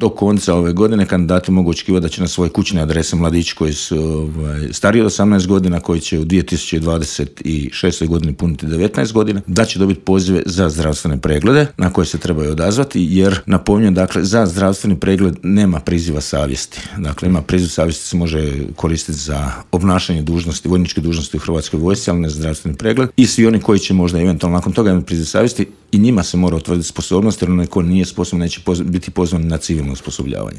do konca ove godine kandidati mogu očekivati da će na svoje kućne adrese mladići koji su stariji od 18 godina, koji će u 2026. godini puniti 19 godina, da će dobiti pozive za zdravstvene preglede na koje se trebaju odazvati, jer napominjem, dakle, za zdravstveni pregled nema priziva savjesti. Dakle, ima priziv savjesti se može koristiti za obnašanje dužnosti, vojničke dužnosti u Hrvatskoj vojsci, ali ne zdravstveni pregled. I svi oni koji će možda eventualno nakon toga imati priziv savjesti, i njima se mora utvrditi sposobnost, jer onaj ko nije sposoban neće biti pozvan na civilno osposobljavanje.